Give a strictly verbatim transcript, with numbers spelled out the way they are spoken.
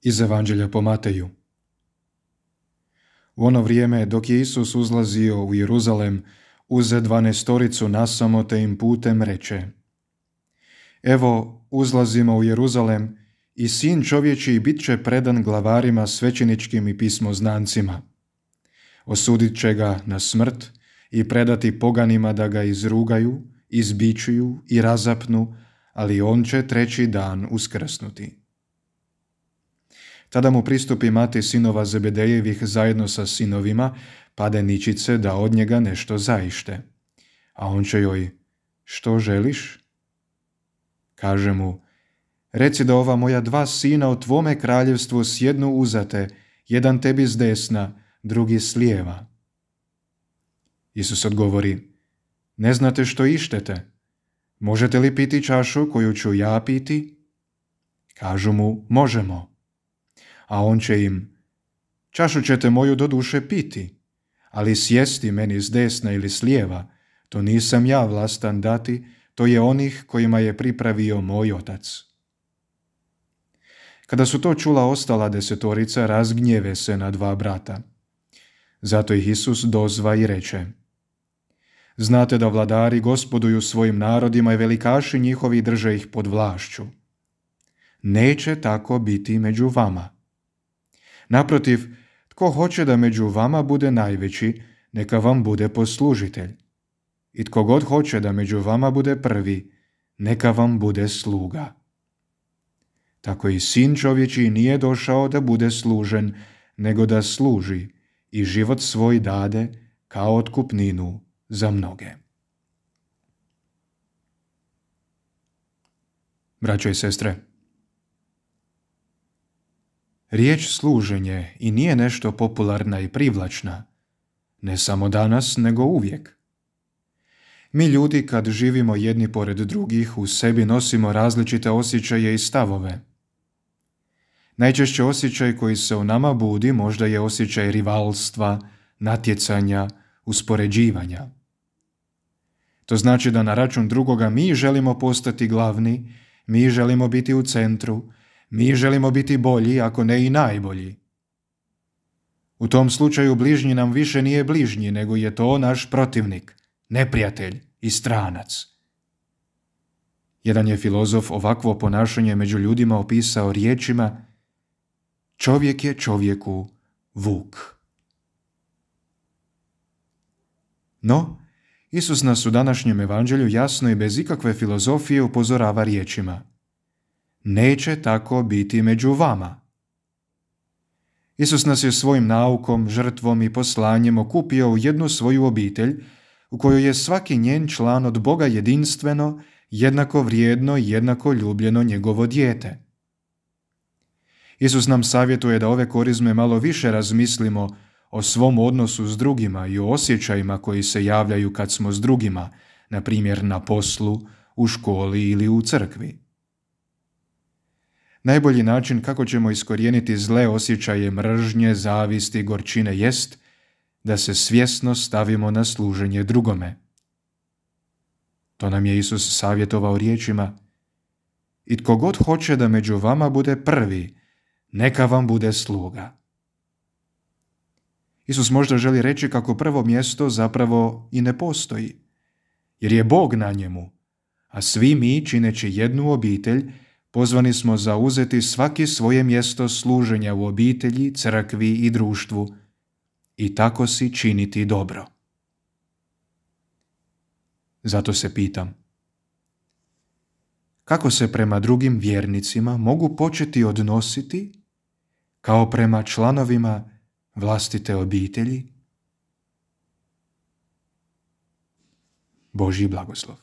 Iz Evanđelja po Mateju. U ono vrijeme, dok je Isus uzlazio u Jeruzalem, uze dvanaestoricu nasamo te im putem reče: Evo, uzlazimo u Jeruzalem i sin čovječiji bit će predan glavarima svećeničkim i pismoznancima. Osudit će ga na smrt i predati poganima da ga izrugaju, izbičuju i razapnu, ali on će treći dan uskrsnuti. Tada mu pristupi mati sinova Zebedejevih zajedno sa sinovima, pade ničice da od njega nešto zaište. A on će joj: Što želiš? Kaže mu: Reci da ova moja dva sina u tvome kraljevstvu sjednu uzate, jedan tebi s desna, drugi s lijeva. Isus odgovori: Ne znate što ištete? Možete li piti čašu koju ću ja piti? Kažu mu: Možemo. A on će im: Čašu ćete moju do duše piti, ali sjesti meni s desna ili s lijeva, to nisam ja vlastan dati, to je onih kojima je pripravio moj otac. Kada su to čula ostala desetorica, razgnjeve se na dva brata. Zato ih Isus dozva i reče: Znate da vladari gospoduju svojim narodima i velikaši njihovi drže ih pod vlašću. Neće tako biti među vama. Naprotiv, tko hoće da među vama bude najveći, neka vam bude poslužitelj. I tko god hoće da među vama bude prvi, neka vam bude sluga. Tako i sin čovječiji nije došao da bude služen, nego da služi i život svoj dade kao otkupninu za mnoge. Braćo i sestre, riječ služenje i nije nešto popularna i privlačna, ne samo danas, nego uvijek. Mi ljudi, kad živimo jedni pored drugih, u sebi nosimo različite osjećaje i stavove. Najčešće osjećaj koji se u nama budi možda je osjećaj rivalstva, natjecanja, uspoređivanja. To znači da na račun drugoga mi želimo postati glavni, mi želimo biti u centru, mi želimo biti bolji, ako ne i najbolji. U tom slučaju bližnji nam više nije bližnji, nego je to naš protivnik, neprijatelj i stranac. Jedan je filozof ovakvo ponašanje među ljudima opisao riječima: Čovjek je čovjeku vuk. No, Isus nas u današnjem evanđelju jasno i bez ikakve filozofije upozorava riječima: Neće tako biti među vama. Isus nas je svojim naukom, žrtvom i poslanjem okupio u jednu svoju obitelj u kojoj je svaki njen član od Boga jedinstveno, jednako vrijedno i jednako ljubljeno njegovo dijete. Isus nam savjetuje da ove korizme malo više razmislimo o svom odnosu s drugima i o osjećajima koji se javljaju kad smo s drugima, na primjer na poslu, u školi ili u crkvi. Najbolji način kako ćemo iskorijeniti zle osjećaje mržnje, zavisti i gorčine jest da se svjesno stavimo na služenje drugome. To nam je Isus savjetovao riječima: I tko god hoće da među vama bude prvi, neka vam bude sluga. Isus možda želi reći kako prvo mjesto zapravo i ne postoji, jer je Bog na njemu, a svi mi, čineći jednu obitelj, pozvani smo zauzeti svaki svoje mjesto služenja u obitelji, crkvi i društvu i tako si činiti dobro. Zato se pitam: kako se prema drugim vjernicima mogu početi odnositi kao prema članovima vlastite obitelji? Božji blagoslov.